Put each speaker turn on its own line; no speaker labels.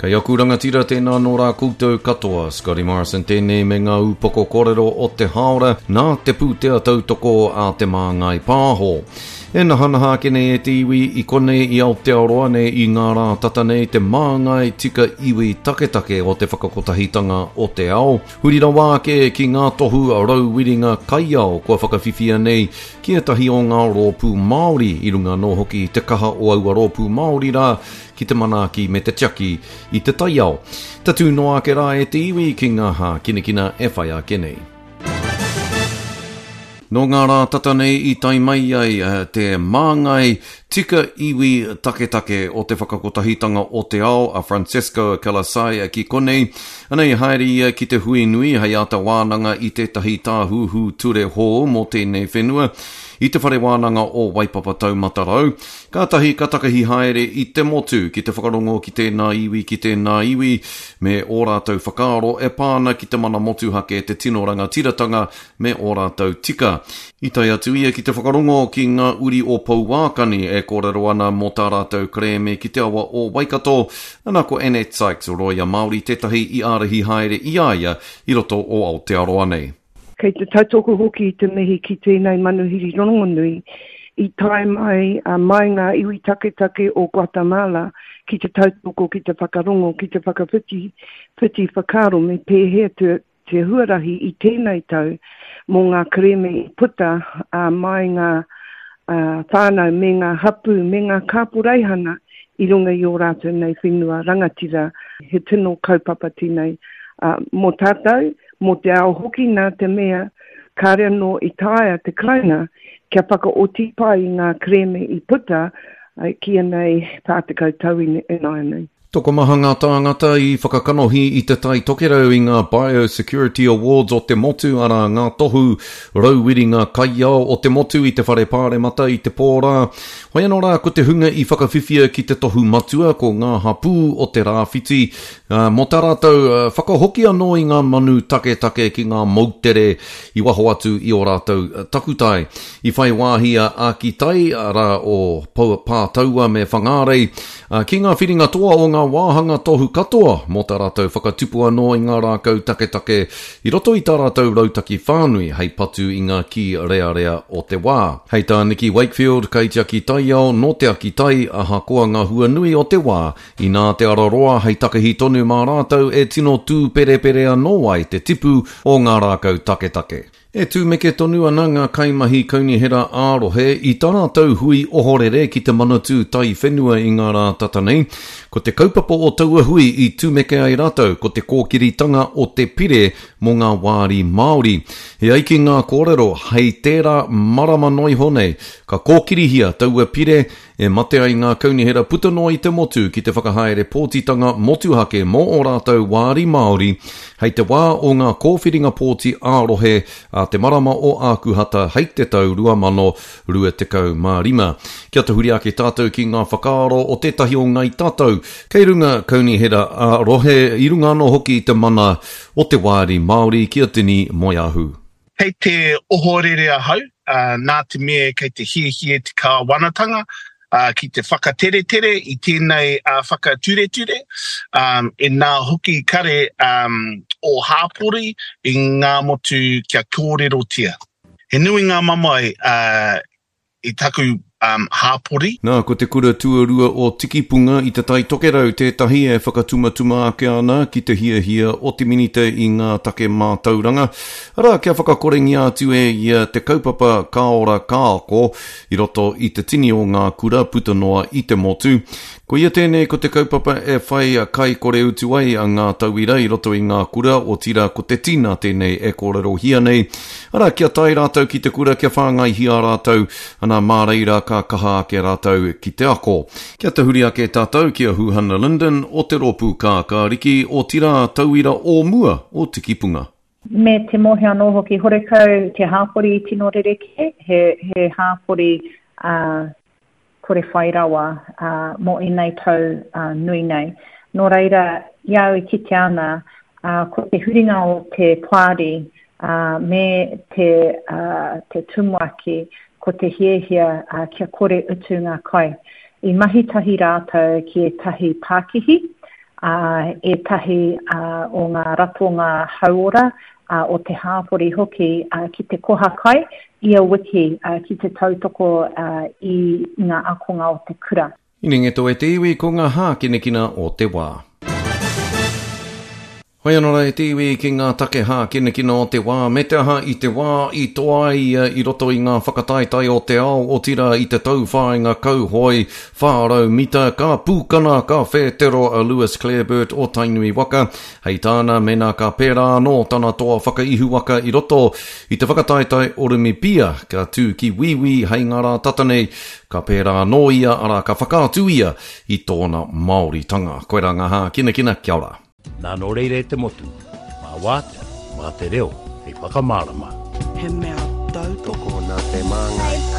Kei aku rangatira tēnā nō rā koutou katoa, Scotty Morrison tēnei me ngā ūpoko kōrero o te hāora nā te pūtea tautoko a Te Māngai Pāho. E nahanaha ake nei e te iwi i konei i Aotearoa nei i ngā rā tata nei te māngai tika iwi taketake o te whakakotahitanga o te ao. Huri rawa ake ki ngā tohu rauwiringa kaiao kua whakawhiwhia nei ki ētahi o ngā rōpū Māori i runga anō hoki i te kaha o aua rōpū Māori rā ki te manaaki me te tiaki i te taiao. Tatū noa ake rā e te iwi ki ngā hākinakina e whai ake nei. Nō ngā rā tata nei i tae mai ai te māngai tika iwi taketake o te Whakakotahitanga o te Ao a Francesco Calisaya ki konei. Anei haere ia ki te hui nui hei āta wānanga i tētahi tāhuhu ture hou mō tēnei whenua i te Whare Wānanga o Waipapa Taumata Rau. Kātahi ka takahi haere i te motu ki te whakarongo ki tēnā iwi, ki tēnā iwi, me ō rātou whakaaro e pā ana ki te mana motuhake, te tino rangatiratanga me ō rātou tika. I tae atu ia ki te whakarongo ki ngā uri o Pouākani e kōrero ana mō tā rātou kerēme ki te awa o Waikato, ana ko Annette Sykes, rōia Māori tētahi i ārahi haere i a ia i roto o Aotearoa nei.
Kei te tautoko hoki i te mihi ki tēnei manuhiri rongonui i tae mai mai ngā iwi taketake o Guatemala ki te tautoko, ki te whakarongo, ki te whakawhiti whiti whakaaro me pēhea te, te huarahi i tēnei tau mō ngā kerēme i puta mai ngā whānau me ngā hapū me ngā kāporeihana i runga i ō rātou nei whenua rangatira. He tino kaupapa tēnei mō tātou. mō te ao hoki nā te mea kāre anō i taea te Karauna kia whakaoti pai i ngā kerēme i puta ki ēnei 40 tau ināianei.
Tokomaha ngā tāngata i whakakanohi i Te Tai Tokerau i ngā Biosecurity Awards o te motu, arā, ngā tohu rauwiringa kaiao o te motu i te Whare Pāremata i te pō rā. Hoi anō rā, ko te hunga i whakawhiwhia ki te tohu matua ko ngā hapū o te Rāwhiti, Ā, mō tā rātou whakahoki anō i ngā manu taketake ki ngā moutere i waho atu i ō rātou takutai. I whai wāhi a Ākitai, arā, o Pātaua me Whangārei, ki ngā whiringa toa o ngā wāhanga tohu katoa mō tā rātou whakatupu anō i ngā rākau taketake i roto i tā rātou rautaki whānui hei patu i ngā kī rearea o te wā. Hei tā Nicky Wakefield, kaitiaki taiao nō Te Akitai, ahakoa ngā hua nui o te wā, Inā te ara roa hei takahi tonu mā rātou e tino tūperepere anō ai te tipu o ngā rākau taketake. E tumeke tonu ana ngā kaimahi kaunihera ā-rohe i tā rātou hui ohorere ki te Manatū Taiwhenua i ngā rā tata nei. Ko te kaupapa o taua hui i tumeke ai rātou ko te kōkiritanga o te pire mō ngā wāri Māori. E ai ki ngā kōrero, hei tērā marama noa iho nei, ka kōkirihia taua pire E mate ai ngā kaunihera puta noa i te motu ki te whakahaere pōtitanga motuhake mō ō rātou wāri Māori hei te wā o ngā kōwhiringa pōti ā-rohe a te marama o Ākuhata hei te tau 2025. Kia tahuri ake tātou ki ngā whakaaro o tētahi o Ngāi Tātou kei runga kaunihera ā-rohe i runga anō hoki i te mana o te wāri Māori ki a Tini Moeahu.
Kei te ohorere ahau, nā te mea kei te hiahia te kāwanatanga ki te whakateretere i tēnei whakatureture, inā hoki kare ō hāpori i ngā motu kia kōrerotia. He nui ngā mamae i taku um, hāpori.
Nā, ko te kura tuarua o Tikipunga i Te Tai Tokerau tētahi e whakatumatuma ake ana ki te hiahia o te Minita i ngā take mātauranga, arā, kia whakakorengia atu e ia te kaupapa Ka Ora Ka Ako i roto i te tini o ngā kura puta noa i te motu. Koia tēnei ko te kaupapa e whai kai kore utu ai a ngā tauira i roto i ngā kura, otirā ko te tina tēnei e kōrerohia nei. Arā, kia tae rātou ki te kura kia whāngaihia rātou, ana mā reira ka kaha ake rātou ki te ako. Kia tahuri ake tātou ki a Huhana Lyndon o te Rōpū Kākāriki, otirā tauira o mua o Tikipunga.
Me te mōhio anō hoki, horekau te hāpori i tino rerekē, he, he hāpori ā, kore whai rawa mō ēnei tau nui nei. Nō reira, i a au e kite ana, ko te huringa o te poari me te, te tumuaki, ko te hiahia kia kore utu ngā kai. I mahi tahi rātou ki ētahi pākihi, Ētahi o ngā ratonga hauora o te hāpori hoki ki te koha kai ia wiki ki te tautoko i ngā ākonga o te kura.
Inengeto e te iwi ko ngā hākinakina o te wā. Hoi anō rā e te iwi ki ngā take hākinakina o te wā, me te aha i te wā i toa ai ia i roto i ngā whakataetae o te ao, otirā i te tauwhāinga kauhoe 400 mita, ka pūkana, ka whētero a Lewis Clareburt o Tainui waka. Hei tāna, mēnā ka pērā anō tana toa whakaihuwaka i roto i te whakataetae Orumipia, ka tū ki Wīwī hei ngā rā tata nei, ka pērā anō ia, arā, ka whakaatu ia i tōna Māoritanga. Koirā ngā hākinakina, kia ora.
Nā nō reira e te motu, mā wātea, mā te reo hei whakamārama.
He mea tautoko.
Tokona te māngai.